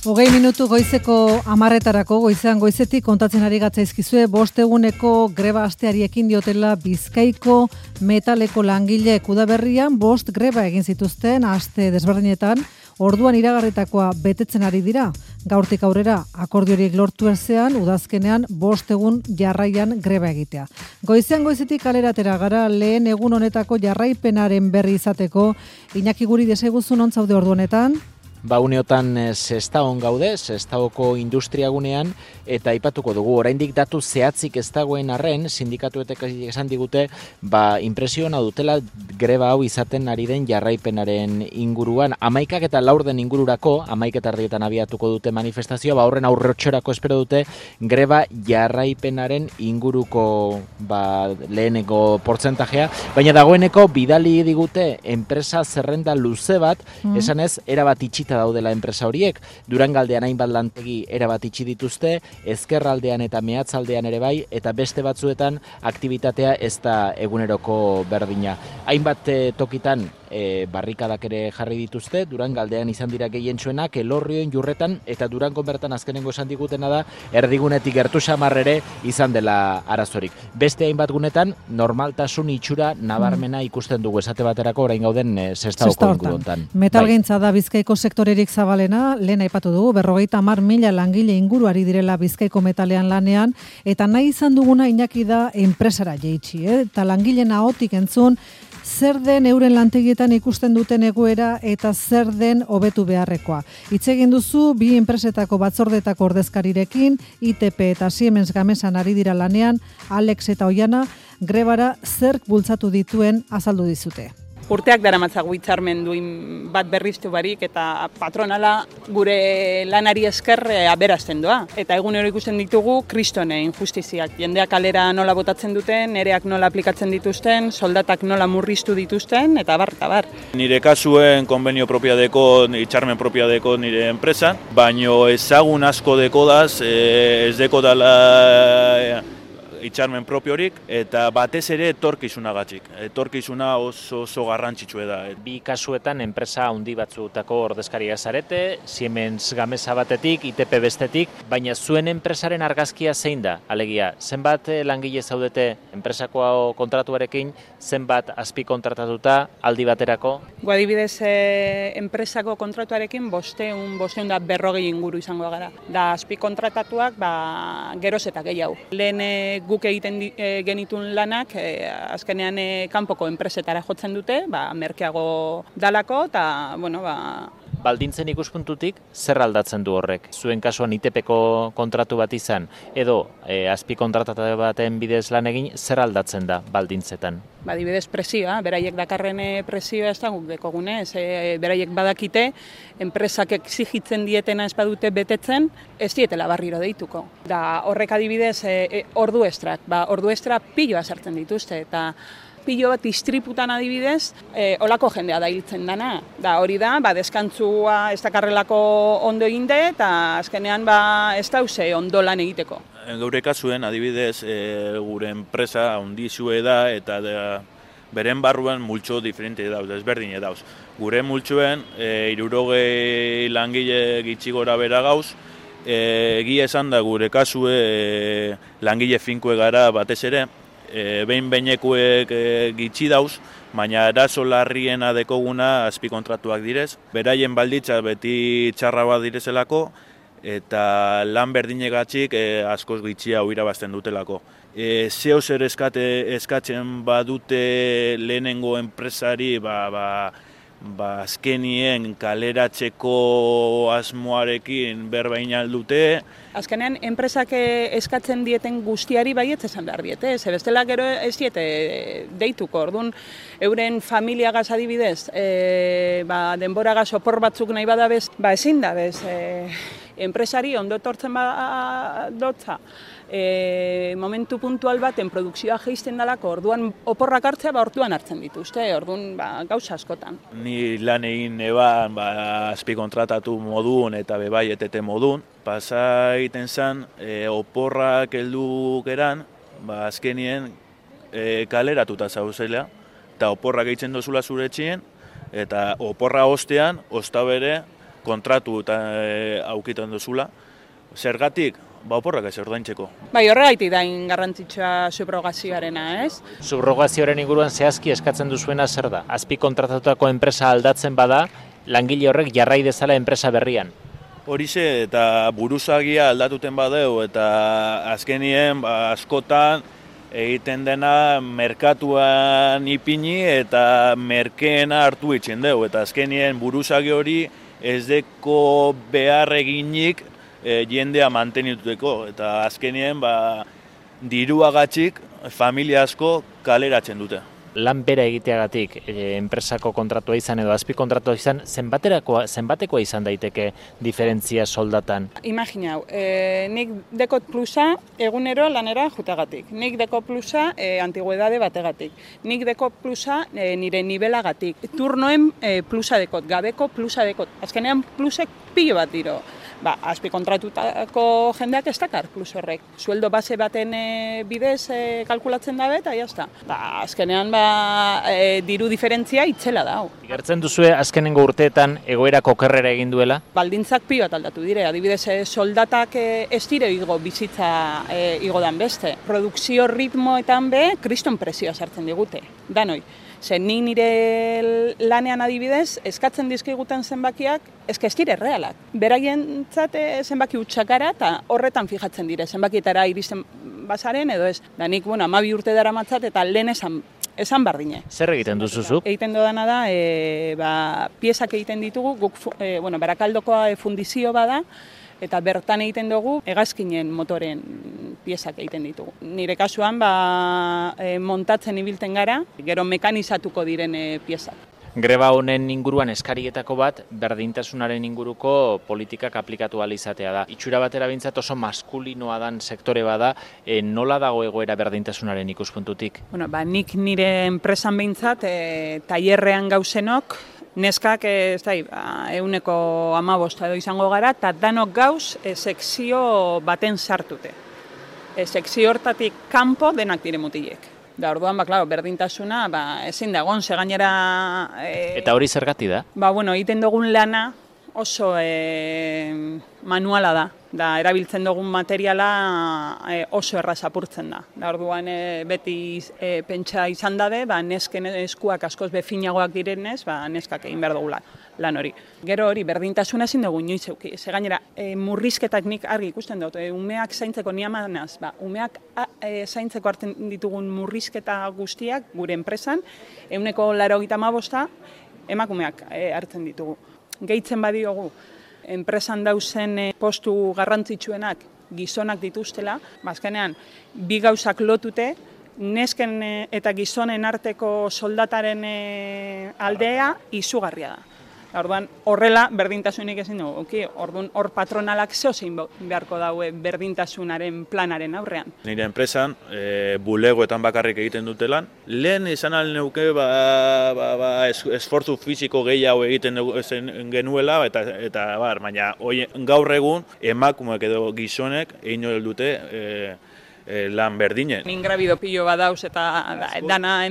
20 goizeko 10:00 goizean goizetik kontatzen ari gatzaizkizue 5 eguneko greba asteari ekin diotela Bizkaiko metaleko langileek udaberrian 5 greba egin zituzten aste desberdinetan, orduan iragarritakoa betetzen ari dira. Gaurtik aurrera akordio horiek lortu ezean udazkenean 5 egun jarraian greba egitea. Goizean goizetik kalera atera gara lehen egun honetako jarraipenaren berri izateko. Iñaki Guri deseguzu non zaude ordu honetan? Uneotan Sestaon gaude, Sestaoko industriagunean, eta aipatuko dugu, oraindik datu zehatzik ez dagoen arren, sindikatuetek esan digute, impresiona dutela greba hau izaten ari den jarraipenaren inguruan. 11 eta 4 ingururako, 11 abiatuko dute manifestazioa, horren aurrotxorako espero dute, greba jarraipenaren inguruko leheneko portzentajea, baina dagoeneko bidali digute enpresa zerrenda luze bat, esanez, erabat itxita daudela enpresa horiek, Durangaldean hainbat lantegi erabat itxi dituzte, ezkerraldean eta mehatzaldean ere bai, eta beste batzuetan aktibitatea ez da eguneroko berdina. Hainbat tokitan barrikadak ere jarri dituzte, Durangaldean izan dira gehientsuenak, Elorrioen, Jurretan, eta Durangon bertan azkenengo esan digutena da, erdigunetik gertu xamar ere izan dela arazorik. Beste hainbat gunetan, normaltasun itxura nabarmena ikusten dugu, esate baterako orain gauden Sestaoko inguruetan. Metalgintza da Bizkaiko sektorerik zabalena, lehen aipatu dugu, 50.000 langile inguru ari direla Bizkaiko metalean lanean, eta nahi izan duguna Iñaki da enpresara jeitsi, eta langileen ahotik entzun, zer den euren lantegietan ikusten duten egoera eta zer den hobetu beharrekoa. Hitz egin duzu, bi enpresetako batzordetako ordezkarirekin, ITP eta Siemens Gamesan ari dira lanean, Alex eta Oiana, grebara zerk bultzatu dituen azaldu dizute. Urteak daramatzagu hitzarmen duin bat berriztu barik eta patronala gure lanari esker aberazten doa. Eta egunero ikusten ditugu kristone injustiziak. Jendeak kalera nola botatzen duten, nereak nola aplikatzen dituzten, soldatak nola murriztu dituzten, eta bar. Nire kasuen konbenio propiadeko, hitzarmen propiadeko nire enpresan, baino ezagun asko dekodaz, ez dekodala hitzarmen propiorik, eta batez ere etorkizunagatik. Etorkizuna oso garrantzitsua da. Bi kasuetan enpresa handi batzutako ordezkaria zarete, Siemens Gamesa batetik, ITP bestetik, baina zuen enpresaren argazkia zein da? Alegia, zenbat langile zaudete enpresako kontratuarekin, zenbat azpi kontratatuta aldi baterako? Adibidez, enpresako kontratuarekin 540 inguru izango gara. Da azpi kontratatuak geroz eta gehiago. Lehen guk egiten genitun lanak, azkenean kanpoko enpresetara jotzen dute, merkeago dalako, eta, Baldintzen ikuspuntutik, zer aldatzen du horrek? Zuen kasuan ITPko kontratu bat izan, edo azpi kontratatu baten bidez lan egin, zer aldatzen da baldintzetan? Adibidez presioa, beraiek dakarren presioa ez da guk dekogune, beraiek badakite, enpresak exigitzen dietena ez badute betetzen, ez dietela barriro deituko. Da horrek adibidez ordu estrak, ordu estra piloa sartzen dituzte, eta pilo bat istriputan adibidez, olako jendea da hiltzen dana. Da hori da, deskantzua ez dakarrelako ondo eginde, eta azkenean ez dauze ondo lan egiteko. Gaur kasuen adibidez, gure enpresa handizue da, eta beren barruan multxo diferente dauz, desberdine dauz. Gure multxoen, 60 langile gitxi gora bera gauz, egia esan da gure kasue langile finkue gara batez ere, behin-behinekuek gitxi dauz, baina arazo larriena dekoguna azpi kontratuak direz. Beraien balditza beti txarra bat direzelako, eta lan berdinegatik askoz gitxia irabazten dutelako. Zeo zer eskatzen badute lehenengo enpresari, azkenien kaleratzeko asmoarekin berbain aldute. Azkenean, enpresak eskatzen dieten guztiari baietz esan behar diete, ze bestela gero ez diete deituko. Orduan, euren familiagaz adibidez, denboragaz opor batzuk nahi badabez, ezin da bez. Enpresari ondo etortzen dotza, momentu puntual baten produkzioa jeisten dalako, orduan oporrak hartzea, orduan hartzen dituzte, orduan gauza askotan. Ni lan egin eban, azpi kontratatu modun eta bebai etete modun, pasa egiten zen, oporrak heldu geran, azkenien kaleratuta zauzela, eta oporrak egiten dozula zure etxien, eta oporra ostean, ozta bere, kontratu eta aukitan duzula. Zergatik? Oporrak ez ordaintzeko. Bai, horregaitik da garrantzitsua subrogazioarena, ez? Subrogazioaren inguruan zehazki eskatzen duzuena zer da? Azpi kontratatutako enpresa aldatzen bada, langile horrek jarrai dezala enpresa berrian. Horixe eta buruzagia aldatuten badeu eta azkenien askotan egiten dena merkatuan ipini eta merkeena hartu itxen dugu. Eta azkenien buruzagi hori ez deko behar eginik jendea mantenituteko. Eta azkenien diruagatxik familia asko kaleratzen dute. Lan bera egiteagatik enpresako kontratua izan edo azpi kontratua izan, zenbatekoa izan daiteke diferentzia soldatan? Imaginau, nik dekot plusa egunero lanera jutagatik, nik dekot plusa antigüedade bategatik, nik dekot plusa nire nivelagatik, turnoen plusa dekot, gabeko plusa dekot, azkenean plusek pilo bat diro. Azpi kontratutako jendeak ez dakar plus horrek. Sueldo base baten bidez kalkulatzen dabe eta jazta. Azkenean diru diferentzia itzela da. Igertzen duzue azkenengo urteetan egoerak okerrera egin duela? Baldintzak pilo bat aldatu dire. Adibidez soldatak ez dire igo bizitza igo dan beste. Produkzio ritmoetan kriston presioa sartzen digute. Danoi. Zer, nik nire lanean adibidez, eskatzen dizkiguten zenbakiak, ez dire realak. Beraien zenbaki utxakara eta horretan fijatzen dire, zenbakietara iristen bazaren edo ez. Da nik, 12 urte dara matzat eta lehen esan bardine. Zer egiten duzuzuk? Egiten dodana da, piezak egiten ditugu, Barakaldokoa fundizio bada, eta bertan egiten dugu hegazkinen motoren piezak egiten ditugu. Nire kasuan montatzen ibilten gara, gero mekanizatuko diren piezak. Greba honen inguruan eskarietako bat, berdintasunaren inguruko politikak aplikatu ahal izatea da. Itxura batera bintzat oso maskulinoa dan sektore bada, nola dago egoera berdintasunaren ikuspuntutik? Nik nire enpresan bintzat, tailerrean gauzenok, neskak euneko 15 edo izango gara, eta danok gauz sekzio baten sartute. Sekzio hortatik kanpo denak dire mutilek. Da, orduan, berdintasuna ezin da egon, gainera... Eta hori zergati da? Egiten dugun lana oso manuala da. Da, erabiltzen dugun materiala oso erraz apurtzen da. Da, orduan, beti pentsa izan dabe, nesken eskuak askoz befinagoak direnez, neskak egin behar dugula lan hori. Gero hori, berdintasuna ezin dugu inoiz euki. Gainera, murrizketak nik argi ikusten dut, umeak zaintzeko niamanaz, umeak zaintzeko hartzen ditugun murrizketa guztiak gure enpresan, 85% emakumeak hartzen ditugu. Gehitzen badiogu, enpresan dauzen postu garrantzitsuenak gizonak dituztela, azkenean bi gauzak lotute, nesken eta gizonen arteko soldataren aldea izugarria da. Orduan, horrela berdintasunik ezin dugu. Orduan, hor patronalak zeozein beharko daue berdintasunaren planaren aurrean. Nire enpresan, bulegoetan bakarrik egiten dutelan. Lehen izan alneuke esfortzu fisiko gehiago egiten genuela, eta baina gaur egun emakumeak edo gizonek egin dute lan berdinen. Ingrabido pilo badauz eta dana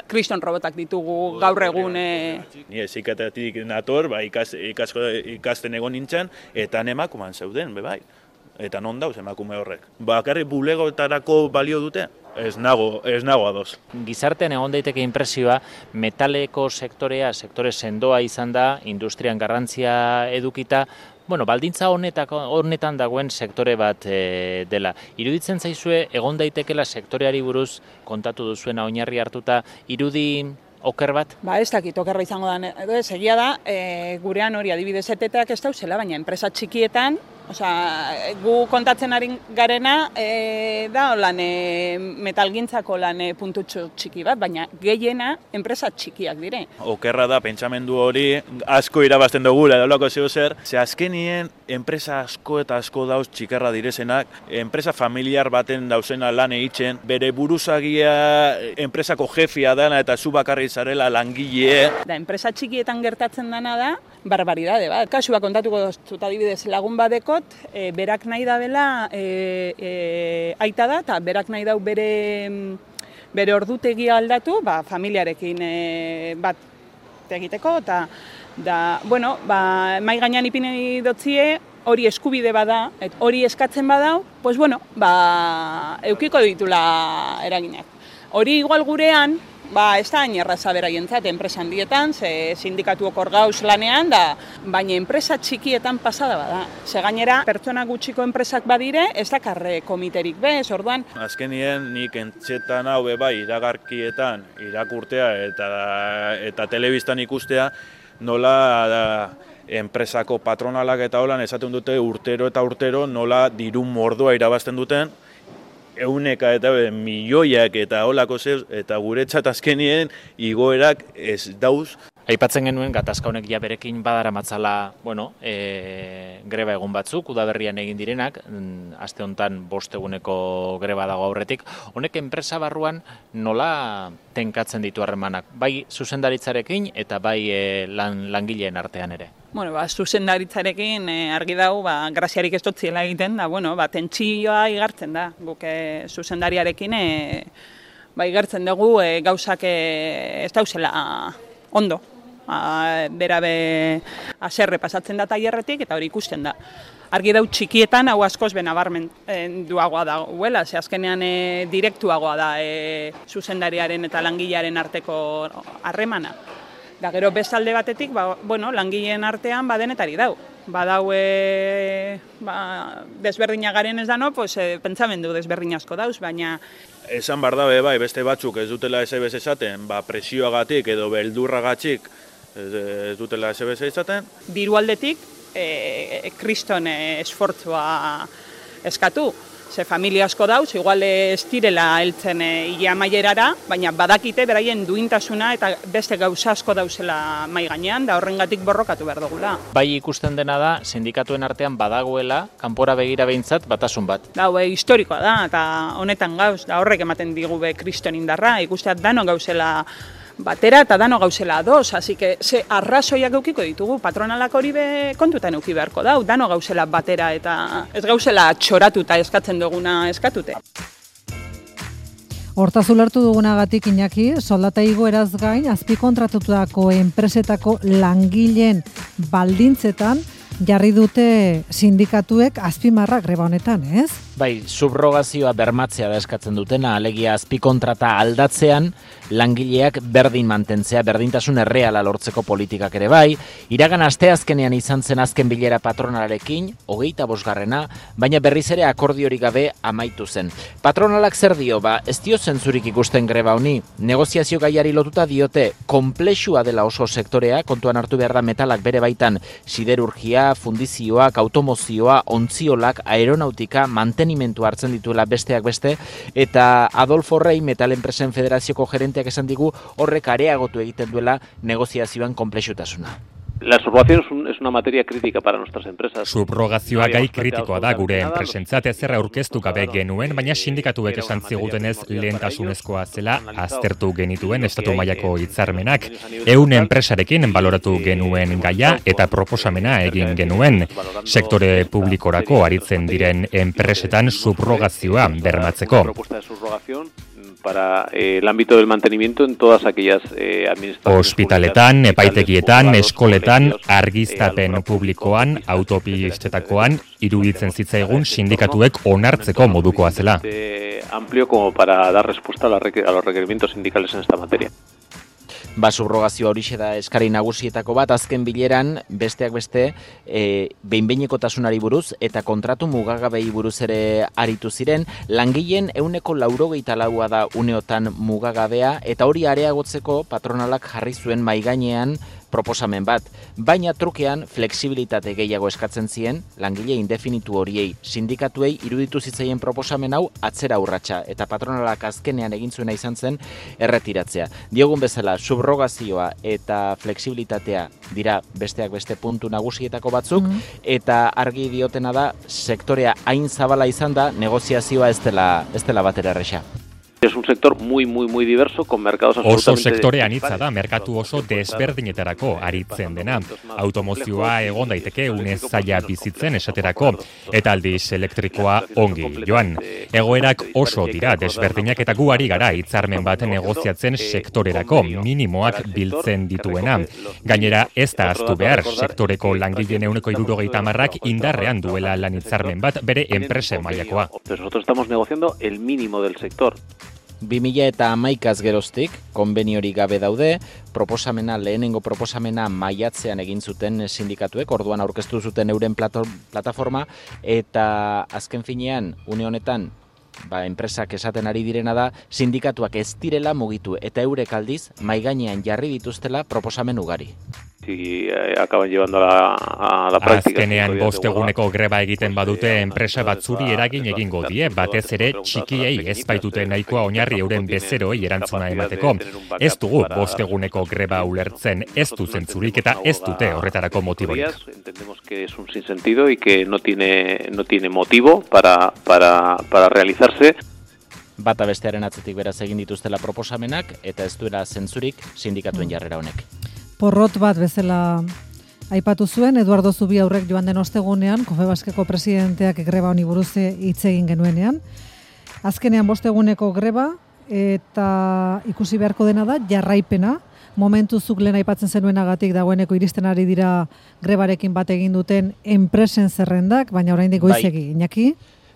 kriston robotak ditugu gaur egun. Ni eziketatik nator, ikasten egon nintzen, eta emakumean zeuden, bai. Eta non dauz emakume horrek. Bakarrik bulegoetarako balio dute? Ez nago ados. Gizartean egon daiteke inpresioa, metaleko sektore sendoa izan da, industrian garrantzia edukita, baldintza honetan dagoen sektore bat dela. Iruditzen zaizue, egon daitekela sektoreari buruz kontatu duzuena oinarri hartuta, irudi oker bat? Ez dakit okerra izango da, edo ez egia da, gurean hori adibidez eteteak ez dauzela, baina enpresa txikietan, gu kontatzen ari garena da metalgintzako lan puntutxo txiki bat, baina gehiena enpresa txikiak dire. Okerra da, pentsamendu hori asko irabazten dugula, edolako zeo zer, ze azkenien enpresa asko eta asko dauz txikarra direzenak, enpresa familiar baten dauzena lan egiten, bere buruzagia enpresako jefia dana eta zu bakarri zarela langile. Da, enpresa txikietan gertatzen dana da, barbaridade bat. Kasua kontatuko dut adibidez lagun badekot, berak nahi da bela aita da, eta berak nahi dau bere ordutegia aldatu, familiarekin bat egiteko, eta Da, bueno, mai gainean ipini dotzie, hori eskubide bada, hori eskatzen badau, pues bueno, eukiko ditula eraginak. Hori igual gurean, ez da hain erraza beraientzat, enpresa handietan, ze sindikatuok hor gauz lanean, baina enpresa txikietan pasada bada. Ze gainera, pertsona gutxiko enpresak badire, ez dakarre komiterik bez, orduan. Azkenien nik entzetan hau bai iragarkietan, irakurtea eta telebistan ikustea, nola enpresako patronalak eta holan esaten dute urtero eta urtero nola diru mordoa irabazten duten, euneka eta milioiak eta holako zeu, eta guretzat azkenien igoerak ez dauz. Aipatzen genuen gatazka honek ja berekin badara matzala, greba egun batzuk, udaberrian egin direnak, aste honetan 5 eguneko greba dago aurretik. Honek enpresa barruan nola tenkatzen ditu harremanak, bai zuzendaritzarekin eta bai langileen artean ere? Zuzendaritzarekin argi dago, graziarik ez dotziela egiten, tentsioa igartzen da. Guk zuzendariarekin igartzen dugu gauzak ez dauzela ondo. Berabe aserre pasatzen da tailerretik eta hori ikusten da. Argi dau txikietan hau askoz benabarmenduagoa dagoela, ze azkenean direktuagoa da zuzendariaren eta langilearen arteko harremana. Da gero bestalde batetik, langileen artean denetari dau. Badau desberdina garen ez dano, pentsamendu desberdin asko dauz, baina esan bar dabe beste batzuk ez dutela SBS esaten, presioagatik edo beldurragatik ez dutela SBS esaten. Diru aldetik, kriston esfortzua eskatu. Ze familia asko dauz, igual ez direla heltzen ile amaierara, baina badakite beraien duintasuna eta beste gauza asko dauzela mai gainean, da horrengatik borrokatu behar dugula. Bai ikusten dena da, sindikatuen artean badagoela, kanpora begira behintzat batasun bat. Da, historikoa da, eta honetan gauz, da horrek ematen digu kriston indarra, ikusteat dano gauzela batera eta dano gauzela ados, así que ze arrazoiak eukiko ditugu, patronalak hori kontutan euki beharko dau, dano gauzela batera eta ez gauzela txoratuta eskatzen duguna eskatute. Hortaz ulertu dugunagatik, Iñaki, soldata igoeraz gain, azpikontratutako enpresetako langileen baldintzetan jarri dute sindikatuek azpimarra greba honetan, ez? Bai, subrogazioa bermatzea da eskatzen dutena, alegia azpikontrata aldatzean, langileak berdin mantentzea, berdintasun erreala lortzeko politikak ere bai, iragan asteazkenean izan zen azken bilera patronalarekin, 25. Baina berriz ere akordiorik gabe amaitu zen. Patronalak zer dio, ez dio zentzurik ikusten greba honi, negoziazio gaiari lotuta diote, konplexua dela oso sektorea, kontuan hartu behar da metalak bere baitan, siderurgia, fundizioak, automozioa, ontziolak, aeronautika, mantenimentu hartzen dituela besteak beste, eta Adolfo Rey, Metal Enpresen Federazioko gerenteak esan digu, horrek areagotu egiten duela negoziazioan konplexutasuna. La subrogación es una materia crítica para nuestras empresas. Subrogazioa gai kritikoa da gure enpresentzat, ezer aurkeztu gabe genuen, baina sindikatuek esan zigutenez lehentasunezkoa zela aztertu genituen estatu mailako hitzarmenak. 100 enpresarekin baloratu genuen gaia eta proposamena egin genuen. Sektore publikorako aritzen diren enpresetan subrogazioa bermatzeko. Para el ámbito del mantenimiento en todas aquellas administraciones. Hospitaletan, epaitegietan, eskoletan, argiztapen publikoan, autopistetakoan, iruditzen zitzaigun sindikatuek onartzeko modukoa zela. Amplio como para dar respuesta a los requerimientos sindicales en esta materia. Subrogazioa horixe da eskari nagusietako bat, azken bileran besteak beste behin-behinekotasunari buruz eta kontratu mugagabei buruz ere aritu ziren, langileen 94% da uneotan mugagabea eta hori areagotzeko patronalak jarri zuen maigainean proposamen bat, baina trukean flexibilitate gehiago eskatzen zien langile indefinitu horiei, sindikatuei iruditu zitzaien proposamen hau atzera urratsa eta patronalak azkenean egin zuena izan zen erretiratzea. Diogun bezala, subrogazioa eta flexibilitatea dira besteak beste puntu nagusietako batzuk, eta argi diotena da sektorea hain zabala izan da negoziazioa ez dela batera erresa. Es un sector muy diverso, con mercados absolutamente... Oso sektore anitza da, merkatu oso desberdinetarako aritzen dena. Automozioa egon daiteke une zaila bizitzen esaterako, eta aldiz elektrikoa ongi joan. Egoerak oso dira desberdinak eta gu ari gara hitzarmen bat negoziatzen sektorerako, minimoak biltzen dituena. Gainera ez da ahaztu behar, sektoreko langileen 70%ak indarrean duela lan hitzarmen bat bere enpresen mailakoa. Nosotros estamos negociando el mínimo del sector. 2011az geroztik, konbeniorik gabe daude, lehenengo proposamena maiatzean egin zuten sindikatuek, orduan aurkeztu zuten euren plataforma, eta azken finean, une honetan, enpresak esaten ari direna da, sindikatuak ez direla mugitu, eta eurek aldiz, maigainean jarri dituztela proposamen ugari. Si acaban llevando a la práctica. Azkenean 5 eguneko greba egiten badute enpresa batzuri eragin egingo die, batez ere txikiei ez baitute nahikoa oinarri euren bezeroei erantzuna emateko. Ez dugu 5 eguneko greba ulertzen, ez du zentzurik eta ez dute horretarako motiborik. Entendemos que es un sinsentido y que no tiene motivo para realizarse. Bata bestearen atzetik beraz egin dituztela proposamenak eta ez duela zentzurik sindikatuen jarrera honek. Porrot bat bezala aipatu zuen, Eduardo Zubiaurrek joan den ostegunean, Confebaskeko presidenteak greba honi buruz hitz egin genuenean. Azkenean 5 eguneko greba eta ikusi beharko dena da jarraipena. Momentuzuk lehen aipatzen zenuenagatik dagoeneko iristen ari dira grebarekin bat egin duten enpresen zerrendak, baina oraindik goizegi, Iñaki?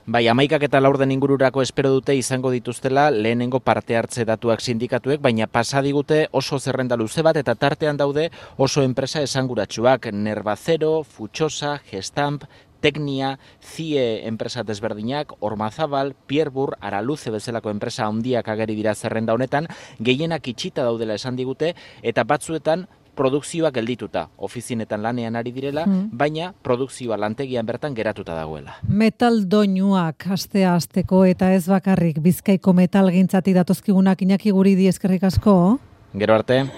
Bai, 11 eta 4 ingururako espero dute izango dituztela lehenengo parte hartze datuak sindikatuek, baina pasa digute oso zerrenda luze bat eta tartean daude oso enpresa esanguratsuak, Nervacero, Futxosa, Gestamp, Teknia, CIE enpresa desberdinak, Ormazabal, Pierbur, Araluze bezalako enpresa handiak ageri dira zerrenda honetan, gehienak itxita daudela esan digute, eta batzuetan produkzioak geldituta, ofizinetan lanean ari direla, baina produkzioa lantegian bertan geratuta dagoela. Metal doinuak astea-asteko eta ez bakarrik Bizkaiko metalgintzati datozkigunak Iñaki Guridi eskerrik asko. Gero arte.